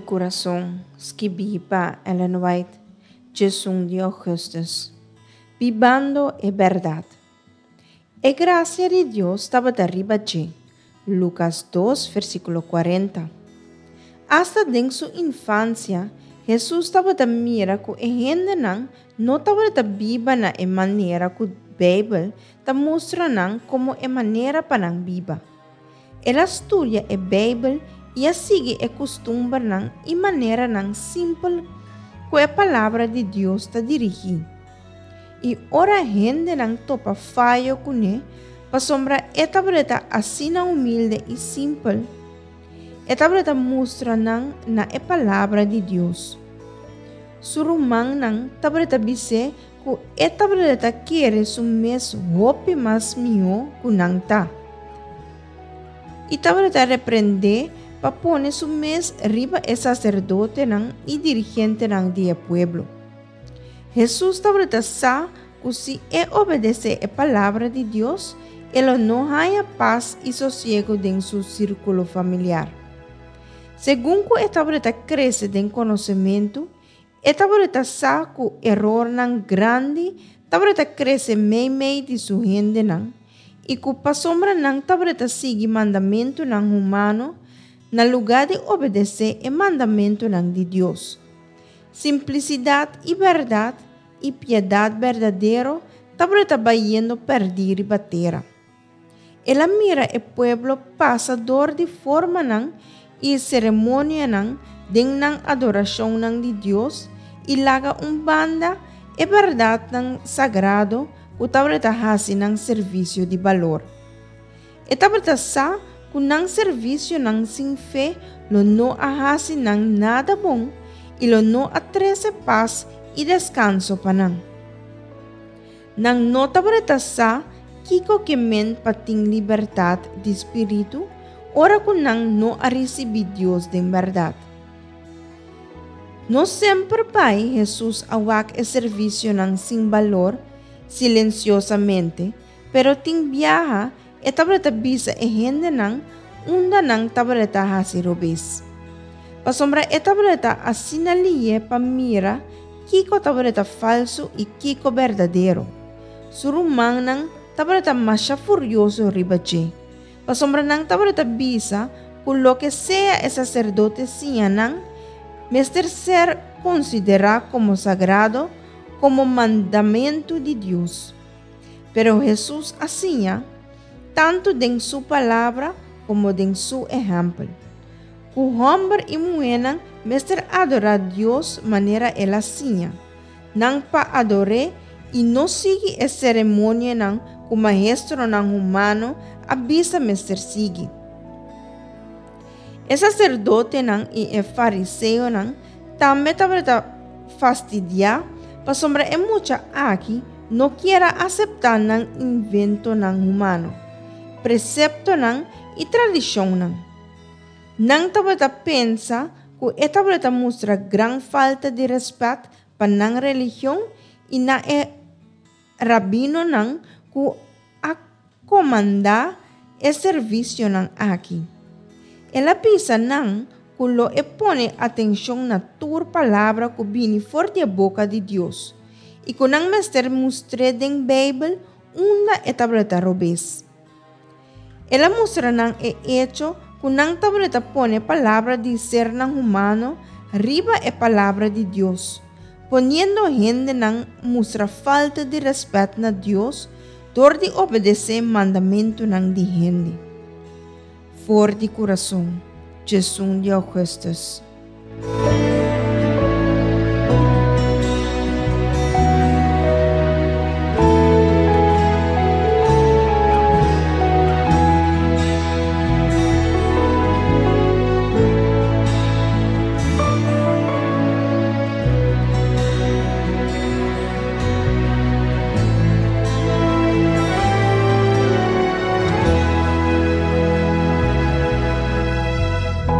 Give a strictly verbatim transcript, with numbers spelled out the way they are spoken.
Kurason, skibí pa Ellen White, diesun di ougùstùs. Bibando e bèrdat. E grasia di Dios tabata riba dje. Lukas dos, versíkulo kuarenta. Asta den su infansia, Hesus tabata mira ku e hendenan no tabata biba na e manera ku Beibel ta mustra nan komo e manera pa nan biba. El a studia e Beibel i a sigui e kustumbernan i maneranan simpel ku e Palabra di Dios ta dirigí. I ora hendenan topa fayo kuné pasobra e tabata asina humilde i simpel, e tabata mustra nan na e Palabra di Dios. Su rumannan tabata bis'é ku e tabata kere su mes hopi mas mihó ku nan ta. I tabata reprend'é pa pone su mes riba e saserdotenan i dirigentenan di e pueblo. Hesus tabata sa ku si e obedesé e Palabra di Dios, e lo no haña pas i sosiegu den su sírkulo familiar. Segun ku e tabata krese den konosementu, e tabata sa ku erornan grandi tabata krese meimei di su hendenan i ku pasobra nan tabata sigui mandamentunan humano na lugá di obedesé e mandamentunan di Dios. Simplisidat i bèrdat i piedat berdadero tabata bayendo pèrdí riba tera. El a mira e pueblo pasa dor di formanan i seremonianan den nan adorashonnan di Dios i laga un banda e bèrdatnan sagrado ku tabata hasi nan servisio di balor. E tabata sa ku nan servisionan sin fe lo no a hasi nan nada bon i lo no a trese pas i deskanso pa nan. Nan no tabata sa kiko ke men pa tin libertat di spiritu ora ku nan no a risibí Dios den bèrdat. No semper bai Hesus a wak e servisionan sin balor silensiosamente, pero tin biaha e tabata bisa e hendenan unda nan tabata hasi robes. Pasobra e tabata asina lihé pa mira kiko tabata falsu i kiko berdadero. Su rumannan tabata masha furioso riba dje. Pasobra nan tabata bisa ku loke sea e saserdote siña nan, mester ser konsiderá komo sagrado, komo mandamentu di Dios. Pero Hesus a siña, tantu den su palabra komo den su ehèmpel, ku hòmber i muhénan mester adorá Dios manera el a siña, nan pa ador'é i no sigui e seremonianan ku maestronan humano a bisa mester sigui. E saserdotenan i e fariseonan tambe tabata fastidiá pasobra e mucha aki no kier a aseptá nan inventonan humano, preseptonan i tradishonnan. Nan tabata pensa ku e tabata mustra gran falta di rèspèt pa nan religion i na e rabinonan ku a komandá e servisionan aki. El a bisa nan ku lo e pone atenshon na tur palabra ku bini for di boka di Dios i ku nan mester mustr'é den Beibel unda e tabata robes. El a mustra nan e echo ku nan tabata pone palabra di sernan humano riba e palabra di Dios, poniendo hendenan mustra falta di rèspèt na Dios dor di obedesé mandamentunan di hende. For di Kurason, diesun di ougùstùs.